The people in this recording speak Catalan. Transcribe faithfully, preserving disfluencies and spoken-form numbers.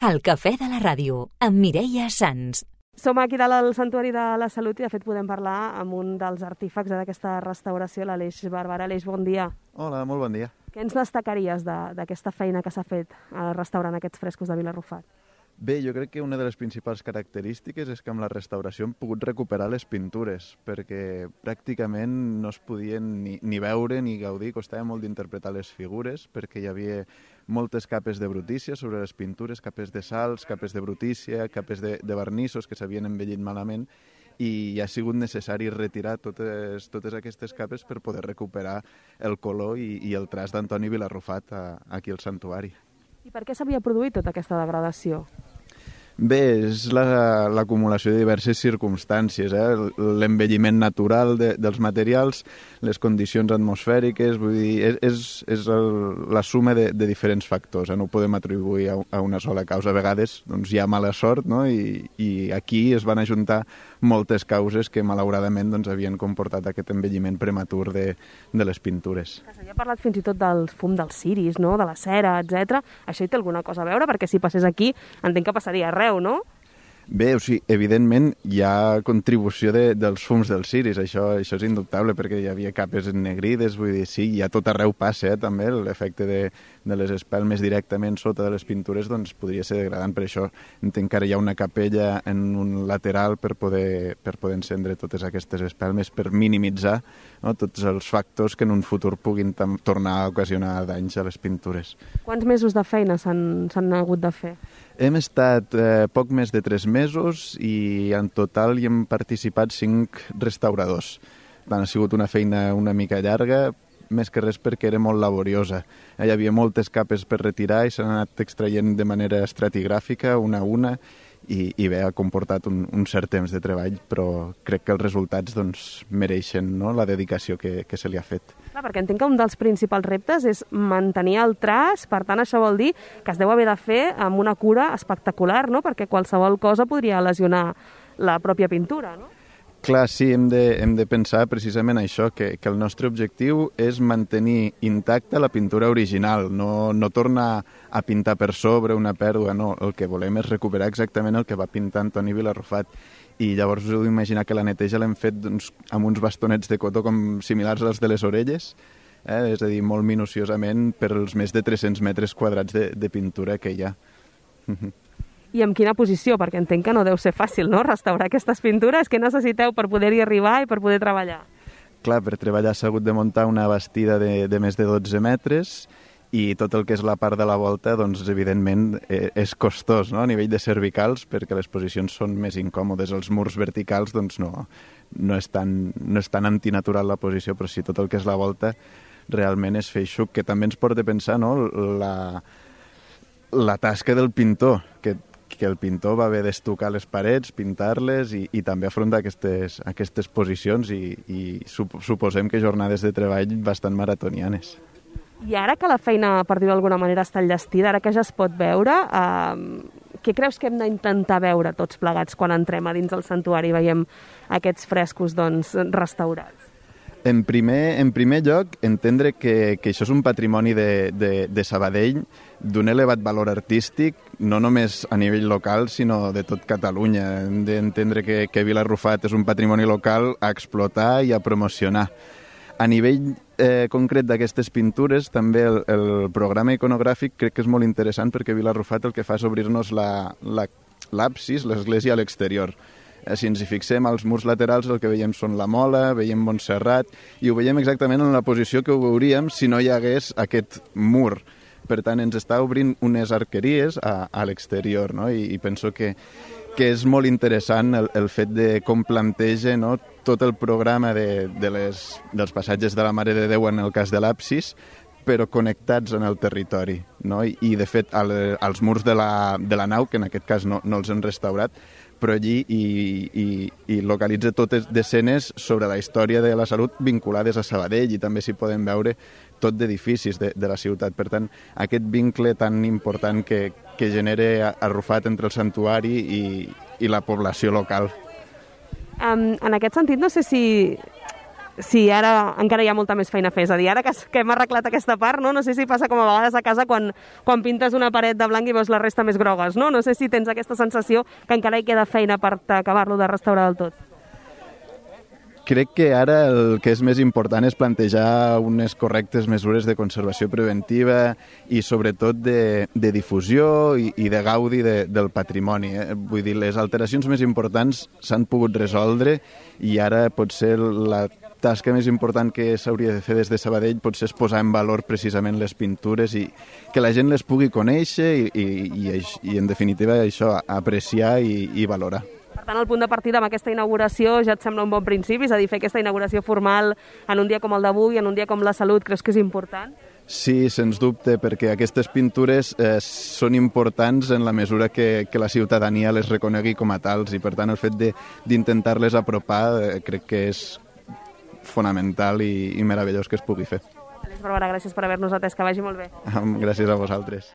El cafè de la ràdio, amb Mireia Sans. Som aquí dalt al Santuari de la Salut i de fet podem parlar amb un dels artífecs d'aquesta restauració, l'Aleix Barberà. Aleix, bon dia. Hola, molt bon dia. Què ens destacaries d'aquesta feina que s'ha fet restaurant aquests frescos de Vilarrufat? Bé, jo crec que una de les principals característiques és que amb la restauració hem pogut recuperar les pintures, perquè pràcticament no es podien ni, ni veure ni gaudir, costava molt d'interpretar les figures, perquè hi havia moltes capes de brutícia sobre les pintures, capes de sals, capes de brutícia, capes de, de vernissos que s'havien envellit malament, i ha sigut necessari retirar totes, totes aquestes capes per poder recuperar el color i, i el traç d'Antoni Vilarrufat a, aquí al santuari. I per què s'havia produït tota aquesta degradació? Bé, és l'acumulació la, de diverses circumstàncies, eh? L'envelliment natural de, dels materials, les condicions atmosfèriques, vull dir, és, és, és el, la suma de, de diferents factors, eh? No ho podem atribuir a, a una sola causa. A vegades doncs, hi ha mala sort, no? I, i aquí es van ajuntar moltes causes que malauradament doncs, havien comportat aquest envelliment prematur de, de les pintures. S'havia parlat fins i tot del fum dels ciris, no? De la cera, etcètera. Això hi té alguna cosa a veure? Perquè si passés aquí entenc que passaria arreu, no? Bé, o sigui, evidentment hi ha contribució de, dels fums dels ciris, això, això és indubtable, perquè hi havia capes ennegrides, vull dir, sí, ja tot arreu passa, eh, també, l'efecte de, de les espelmes directament sota de les pintures, doncs podria ser degradant, per això entenc que ara hi ha una capella en un lateral per poder, per poder encendre totes aquestes espelmes, per minimitzar, no, tots els factors que en un futur puguin tornar a ocasionar danys a les pintures. Quants mesos de feina s'han hagut de fer? Hem estat eh, poc més de tres mesos i en total hi hem participat cinc restauradors. Tant ha sigut una feina una mica llarga, més que res perquè era molt laboriosa. Hi havia moltes capes per retirar i s'han anat extraient de manera estratigràfica, una a una, i, i bé, ha comportat un, un cert temps de treball, però crec que els resultats doncs, mereixen, no?, la dedicació que, que se li ha fet. Clar, perquè entenc que un dels principals reptes és mantenir el traç, per tant això vol dir que es deu haver de fer amb una cura espectacular, no?, perquè qualsevol cosa podria lesionar la pròpia pintura, no? Clar, sí, hem de, hem de pensar precisament això, que, que el nostre objectiu és mantenir intacta la pintura original, no, no tornar a pintar per sobre una pèrdua, no. El que volem és recuperar exactament el que va pintar Antoni Vilarrufat. I llavors us heu d'imaginar que la neteja l'hem fet doncs, amb uns bastonets de cotó com similars als de les orelles, eh? És a dir, molt minuciosament per els més de tres-cents metres quadrats de, de pintura que hi ha. I en quina posició? Perquè entenc que no deu ser fàcil, no?, restaurar aquestes pintures. Què necessiteu per poder-hi arribar i per poder treballar? Clar, per treballar s'ha hagut de muntar una bastida de, de més de dotze metres i tot el que és la part de la volta, doncs, evidentment, eh, és costós, no?, a nivell de cervicals, perquè les posicions són més incòmodes. Els murs verticals, doncs, no, no, és tan, no és tan antinatural la posició, però sí, tot el que és la volta realment és feixuc, que també ens porta a pensar, no?, la, la tasca del pintor, que que el pintor va haver d'estucar les parets, pintar-les i, i també afrontar aquestes, aquestes posicions i, i suposem que jornades de treball bastant maratonianes. I ara que la feina, per dir-ho d'alguna manera, està enllestida, ara que ja es pot veure, eh, què creus que hem d'intentar veure tots plegats quan entrem a dins del santuari i veiem aquests frescos doncs, restaurats? En primer, en primer lloc, entendre que, que això és un patrimoni de, de, de Sabadell d'un elevat valor artístic, no només a nivell local, sinó de tot Catalunya. Hem d'entendre que, que Vilarrufat és un patrimoni local a explotar i a promocionar. A nivell eh, concret d'aquestes pintures, també el, el programa iconogràfic crec que és molt interessant perquè Vilarrufat el que fa és obrir-nos l'absis, l'església a l'exterior. Si ens hi fixem, als murs laterals el que veiem són la Mola, veiem Montserrat, i ho veiem exactament en la posició que ho veuríem si no hi hagués aquest mur. Per tant, ens està obrint unes arqueries a, a l'exterior, no? I, i penso que, que és molt interessant el, el fet de com planteja, no?, tot el programa de, de les, dels passatges de la Mare de Déu en el cas de l'absis, però connectats en el territori, no? I, i de fet, al, als murs de la, de la nau, que en aquest cas no, no els han restaurat, però allí i, i, i localitza totes d'escenes sobre la història de la salut vinculades a Sabadell i també s'hi poden veure tot d'edificis de, de la ciutat. Per tant, aquest vincle tan important que, que genera Arrufat entre el santuari i, i la població local. Um, en aquest sentit, no sé si Sí, ara encara hi ha molta més feina a fer. És a dir, ara que, que hem arreglat aquesta part, no? no sé si passa com a vegades a casa quan, quan pintes una paret de blanc i veus la resta més grogues, no? No sé si tens aquesta sensació que encara hi queda feina per acabar-lo de restaurar del tot. Crec que ara el que és més important és plantejar unes correctes mesures de conservació preventiva i sobretot de, de difusió i, i de gaudi de, del patrimoni. Eh? Vull dir, les alteracions més importants s'han pogut resoldre i ara potser la tasca més important que s'hauria de fer des de Sabadell potser és posar en valor precisament les pintures i que la gent les pugui conèixer i, i, i, i en definitiva això, apreciar i, i valorar. Per tant, el punt de partida amb aquesta inauguració ja et sembla un bon principi? És a dir, fer aquesta inauguració formal en un dia com el d'avui, en un dia com la Salut, creus que és important? Sí, sens dubte, perquè aquestes pintures eh, són importants en la mesura que, que la ciutadania les reconegui com a tals i, per tant, el fet d'intentar-les apropar eh, crec que és fonamental i, i meravellós que es pugui fer. Àlex Barberà, gràcies per haver-nos atès, que vagi molt bé. Gràcies a vosaltres.